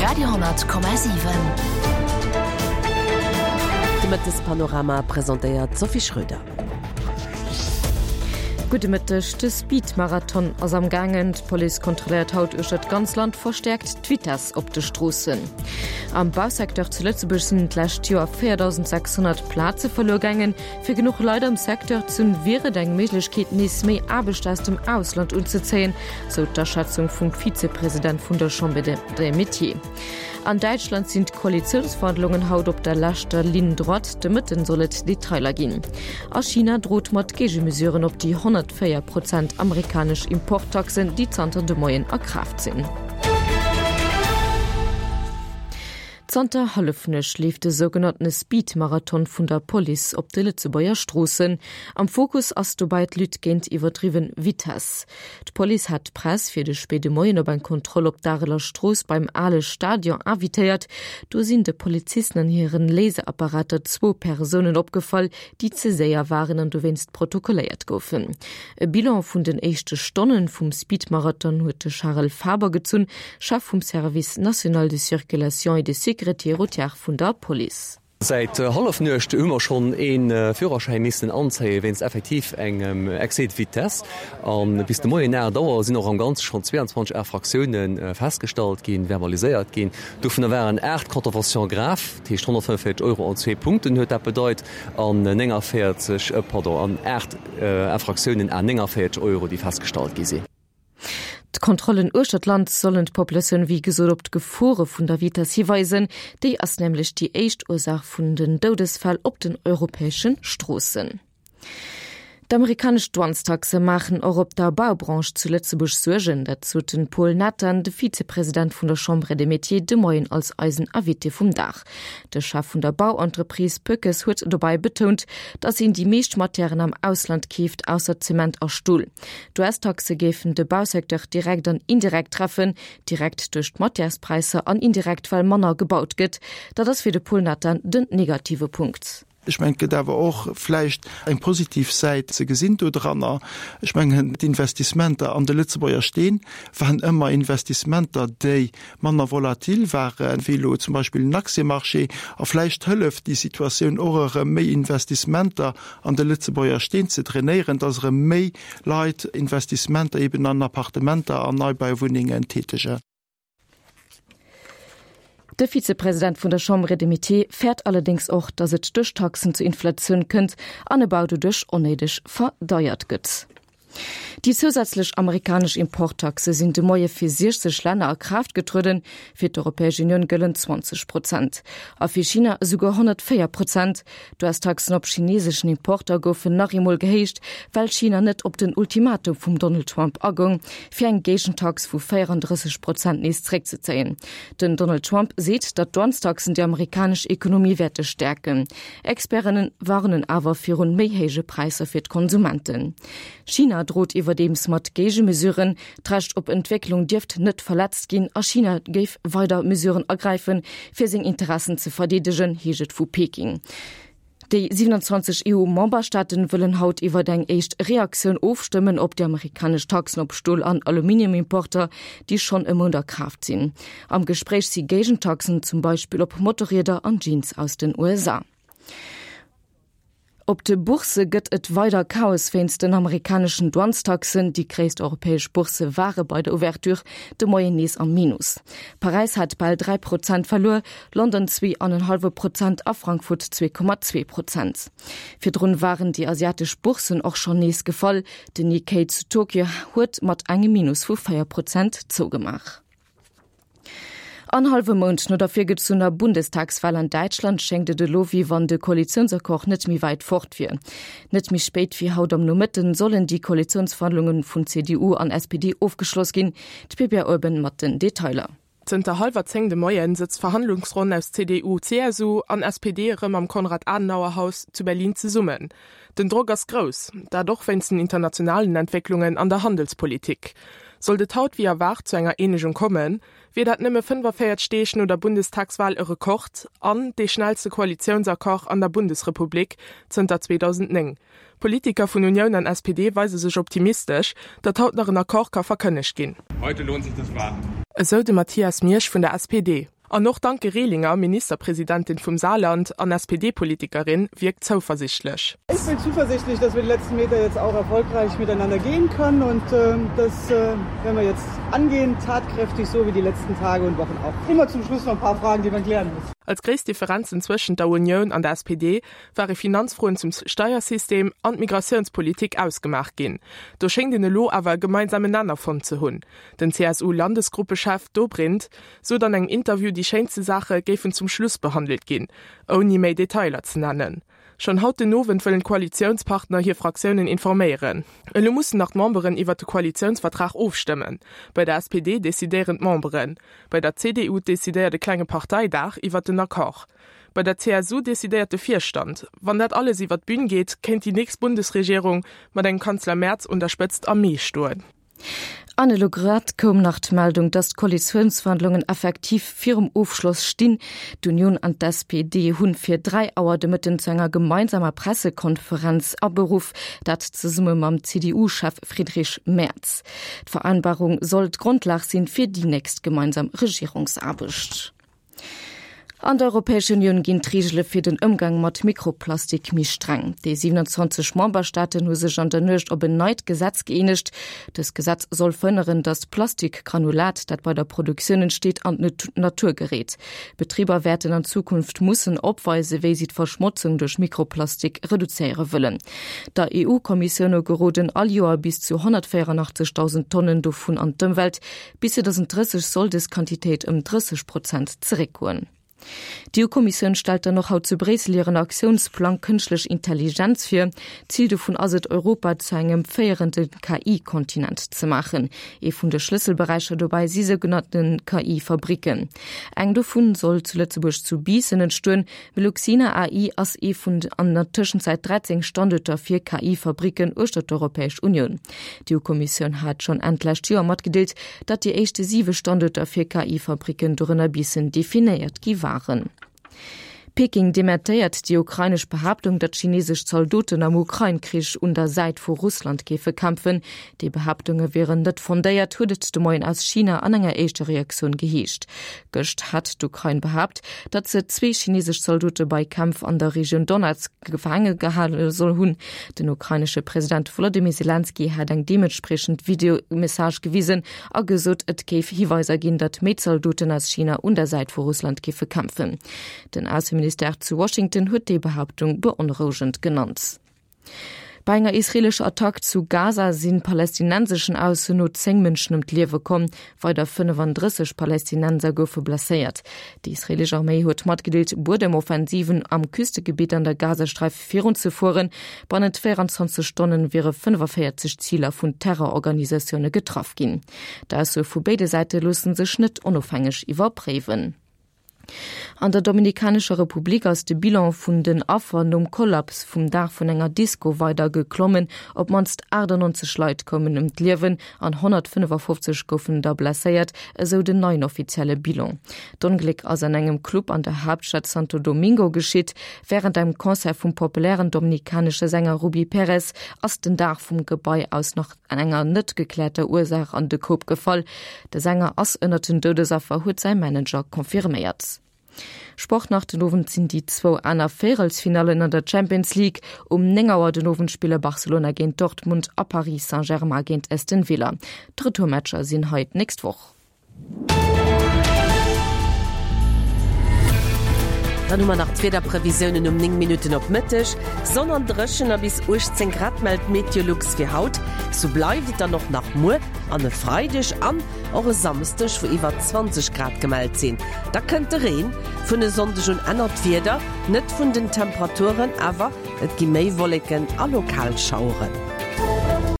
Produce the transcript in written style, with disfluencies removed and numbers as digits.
Radio,7. De Mëttespanorama presentéiert d'Sophie Schröder. Gudde Mëtteg, De Speed-Marathon ass am gaangen. D'Police kontrolléiert haut uechter d'ganz Land verstäerkt d'Vitess op de Stroossen. Am Bausecteur zu Lëtzebuerg sinn d'lescht Joer 4.600 Plaze verluer gaangen. Fir genuch Leit am Secteur z'hunn, wier et eng Méiglechkeet, nees méi Aarbechter aus dem Ausland unzezéien, sou d'Aschätzung vum Vizepresident vun der Chambre des Métiers. An Däitschland sinn d'Koalitiounsverhandlungen haut op der leschter Ligne droite. De Mëtten soll et Detailer ginn. A China drot mat Géigemesuren op déi 104 Prozent amerikanesch Importtaxen, déi zanter de Moien a Kraaft sinn. Zanter Hallefnuecht leeft de sougenanntene Speed-Marathon vun der Police op de Lëtzebuerger Stroossen. Am Fokus ass dobäi d'Lutte géint iwwerdriwwen Vitess. D'Police hat d'Press fir de spéide Moien op eng Kontroll op d'Areler Strooss beim ale Stadion invitéiert. Do sinn de Polizisten an hiren Laserapparater zwou Persounen opgefall, déi ze séier waren an dowéinst protokolléiert goufen. E Bilan vun den éischte Stonnen vum Speedmarathon huet de Charel Faber gezunn, Chef vum Service national de circulation et de sécurité routière vun der Police. Säit Hallefnuecht hu mer schonn ee Führerschäin missen anzéie wéinst effektiv engem Excès de vitesse. A bis de Moien 8 Auer sinn och am Ganze schonn 22 Infraktioune festgestallt ginn, verbaliséiert ginn. Dovunner waren 8 Contraventions graves, dat heescht 145 Euro an zwee Punkten huet dat bedeit, an 49, pardon, an 8 Infraktiounen à 49 Euro, déi festgestallt gi sinn. D'Kontrollen uechter d'Land sollen d'Populatioun wéi gesot op d'Gefore vun der Vitess hiweisen. Déi ass nämlech déi éischt Ursaach vun den Doudesfäll op den europäesche Stroossen. D'amerikanesch Douanestaxe maachen och op der Baubranche zu Lëtzebuerg Suergen. Dat sot den Paul Nathan, de Vizepresident vun der Chambre des Métiers, de Moien als eisen Invité vum Dag. De Chef vun der Bauentreprise Pöckes huet dobäi betount, datt een déi meescht Matièren am Ausland keeft, ausser Zement a Stol. D'US-Taxe géifen de Bausecteur direkt an indirekt treffen, direkt duerch d'Matièrespräisser an indirekt well manner gebaut gëtt. Dat ass fir de Paul Nathan den negative Punkt. Ech mengen, et gëtt awer och vläicht eng positiv Säit ze gesinn dodranner. Ech mengen, d'Investissementer an de Lëtzebuerger Steen waren ëmmer Investissementer, déi manner volatil ware wéi elo zum Beispill en Aktiëmarché. A vläicht hëlleft déi Situatioun och erëm, méi Investissementer an de Lëtzebuerger Steen ze drainéieren, dass erëm méi Leit Investissementer eben an Appartementer an Neibauwunnengen tätegen. De Vizepresident vun der Chambre des Métiers fäert allerdéngs och, datt et duerch Taxen zu Inflatioun kënnt an e Bau doduerch onnéideg verdeiert gëtt. Déi zousätzlech amerikanesch Importtaxe sinn de Moie fir 60 Länner a Kraaft getrueden. Fir d'Europäesch Unioun gëllen 20 Prozent a fir China esouguer 104 Prozent. D'US-Taxen op chineseschen Importer goufen nach eemol gehéicht, well China net op den Ultimatum vum Donald Trump agoung, fir eng Géigentax vu 34 Prozent nees zeréckzezéien. Den Donald Trump seet, datt d'Douanestaxen déi amerikanesch Ekonomie wäerte stäerken. Experten warnen awer virun méi héije Präisser fir d'Konsumenten. China drot iwwerdeems mat Géigemesuren. D'Recht op Entwécklung dierft net verletzt ginn a China géif weider Mesuren ergräifen, fir seng Interessen ze verdeedegen, heescht et vu Peking. Déi 27 EU-Memberstaaten wëllen haut iwwert eng éischt Reaktioun ofstëmmen op déi amerikanesch Taxen op Stol an Aluminiumimporter, déi schonn e Mount a Kraaft sinn. Am Gespréich si Géigentaxen, zum Beispill op Motorrieder an Jeans aus den USA. Op de Boursse gëtt et weider Chaos wéinst den amerikaneschen Douanestaxen. Déi gréisst europäesch Boursse ware bei der Ouverture de Moien nees am Minus. Paräis hat bal 3 Prozent verluer, London 2,5 Prozent a Frankfurt 2,2 Prozent. Virdrun waren déi asiatesch Bourssen och schonn nees gefall. Den Nikkei zu Tokio huet mat engem Minus vu 4 Prozent zougemaach. En hallwe Mount no der virgezunner Bundestagswal an Däitschland schéngt et elo, wéi wann de Koalitiounsaccord net méi wäit fort wier. Net méi spéit wéi haut am Nomëtten sollen déi Koalitiounsverhandlunge vun CDU an SPD ofgeschloss ginn. D'Bibiane Urban mat den Detailer. Zënter hallwer 10 de Moien sëtzt d'Verhandlungsronn aus CDU, CSU an SPD erëm am Konrad-Adenauer-Haus zu Berlin zesummen. Den Drock ass grouss, dat och wéinst den internationalen Entwécklungen an der Handelspolitik. Sollt et haut wéi erwaart zu enger Eenegung kommen, wier dat nëmme 45 Deeg no der Bundestagswal e Rekord an dee schnellste Koalitiounsaccord an der Bundesrepublik zënter 2009. Politiker vun Unioun an SPD weise sech optimistesch, datt haut nach en Accord ka verkënnegt ginn. Heute lohnt sich das Warten. Esou de Mathias Miersch vun der SPD. An och d'Anke Rehlinger, Ministerpresidentin vum Saarland an SPD-Politikerin, wierkt zouversichtlech. Ich bin zuversichtlich, dass wir die letzten Meter jetzt auch erfolgreich miteinander gehen können und das werden wir jetzt angehen, tatkräftig, so wie die letzten Tage und Wochen auch. Immer zum Schluss noch ein paar Fragen, die man klären muss. Als gréisst Differenzen zwëschent der Unioun an der SPD ware Finanzfroen zum Steiersystem an d'Migratiounspolitik ausgemaach ginn. Do schéngt een elo awer e gemeinsamen Nenner fonnt ze hunn. Den CSU-Landesgruppechef Dobrindt sot an engem Interview, déi schéinste Saache géifen zum Schluss behandelt ginn, ouni méi Detailer ze nennen. Schonn haut den Owend wëllen d'Koalitiounspartner hir Fraktiounen informéieren. Elo mussen nach d'Memberen iwwert de Koalitiounsvertrag ofstëmmen. Bei der SPD decidéieren d'Memberen. Bei der CDU decidéiert e klenge Parteidag iwwert den Accord. Bei der CSU decidéiert de Virstand. Wann dat alles iwwert d'Bün geet, kéint déi nächst Bundesregierung mat engem Kanzler Merz un der Spëtzt am Mee stoen. An elo grad koum nach d'Meldung, datt d'Koalitiounsverhandlungen effektiv virum Ofschloss stinn. D'Union an d'SPD hunn fir 3 Auer de Mëtten zu enger gemeinsamer Pressekonferenz aberuff, dat zesumme mam CDU-Chef Friedrich Merz. D'Vereinbarung soll d'Grondlag sinn fir déi nächst gemeinsam Regierungsaarbecht. An der Europäescher Unioun ginn d'Reegele fir den Ëmgang mat Mikroplastik méi streng. Déi 27 Memberstaaten hu sech an der Nuecht op en neit Gesetz gëeenegt. Dëst Gesetz soll verhënneren, datt Plastikgranulat, dat bei der Produktioun entsteet, an d'Natur geréit. Betriber wäerten an Zukunft mussen opweisen, wéi si d'Verschmotzung duerch Mikroplastik reduzéiere wëllen. Der EU-Kommissioun no geroden all Joer bis zu 184.000 Tonnen dovun an d'Ëmwelt. Bis 2030 soll dës Quantitéit ëm 30 Prozent zeréckgoen. D'EU-Kommissioun stellt dann och haut zu Bréissel hiren Aktiounsplang Kënschtlech Intelligenz vir. Zil dovun ass et, Europa zu engem féierende KI-Kontinent ze maachen. Ee vun de Schlësselberäicher dobäi si sougenannte KI-Fabricken. Eng dovun soll zu Lëtzebuerg zu Biissen entstoen. Meluxina AI ass ee vun an der Tëschenzäit 13 Standuerter fir KI-Fabricken uechter d'Europäesch Unioun. D'EU-Kommissioun hat schonn Enn d'lescht Joer matgedeelt, datt déi éischte siwe Standuerter fir KI-Fabricken, dorënner Biissen, definéiert gi waren. Peking dementéiert déi ukrainesch Behaaptung, datt chinesesch Zaldoten am Ukrain-Krich un der Säit vu Russland géife kämpfen. Déi Behaaptunge wieren net fondéiert, huet et de Moien aus China an enger éischter Reaktioun geheescht. Gëscht hat d'Ukrain behaapt, datt se zwee chinesesch Zaldote bei Kämpf an der Regioun Donetsk gefaange gehale soll hunn. Den ukrainesche President Wolodymyr Selenskyj hat eng deementspriechend Videomessage gewisen a gesot, et géif Hiweiser ginn, datt méi Zaldoten aus China un der Säit vu Russland géife kämpfen. Den Ausseministère zu Washington huet déi Behaaptung beonrouegend genannt. Bei enger israeelescher Attack zu Gaza si palästinenseschen Ausso no 10 Mënschen ëm d'Liewe komm. Weider 35 Palästinenser goufe blesséiert. Déi israeelesch Arméi huet matgedeelt, Buedemoffensiven am Küstegebitt an der Gazasträif virunzefueren. Bannent 24 Stonne wiere 45 Ziler vun Terrororganisatioune getraff ginn. D'Aussoe vu béide Säite loosse sech net onofhängeg iwwerpréiwen. An der Dominikanescher Republik ass de Bilan vun den Affer nom Kollaps vum Daach vun enger Disko weider geklommen. Op d'mannst 98 Leit koumen ëm d'Liewen an 155 goufen der blesséiert, esou den neien offizielle Bilan. D'Ongléck ass an engem Club an der Haaptstad Santo Domingo geschitt. Wärend engem Concert vum populären dominikanesche Sänger Rubby Perez ass den Daach vum Gebai aus nach enger net gekläerter Ursaach an de Koup gefall. De Sänger ass ënnert den Doudesaffer, huet säi Manager confirméiert. Sport nach, Den Owend sinn déi zwou aner Véierelsfinallen an der Champions League. Um 9 Auer den Owend spille Barcelona géint Dortmund a Paris Saint-Germain géint Aston Villa. D'Retourmatcher sinn hei d'nächst Woch. Dann hu mer nach d'Wiederprevisiounen um 9 Minutten op Mëtteg. Sonn an dréchen a bis 18 Grad mellt Meteolux fir haut. Sou bleift et dann och nach muer an e Freideg an och e Samsdeg, wou iwwer 20 Grad gemellt sinn. Da kënnt de Reen. Vun e Sonndeg un ännert d'Wieder net vun den Temperaturen, awer et gi méi Wolleken a lokal Schaueren.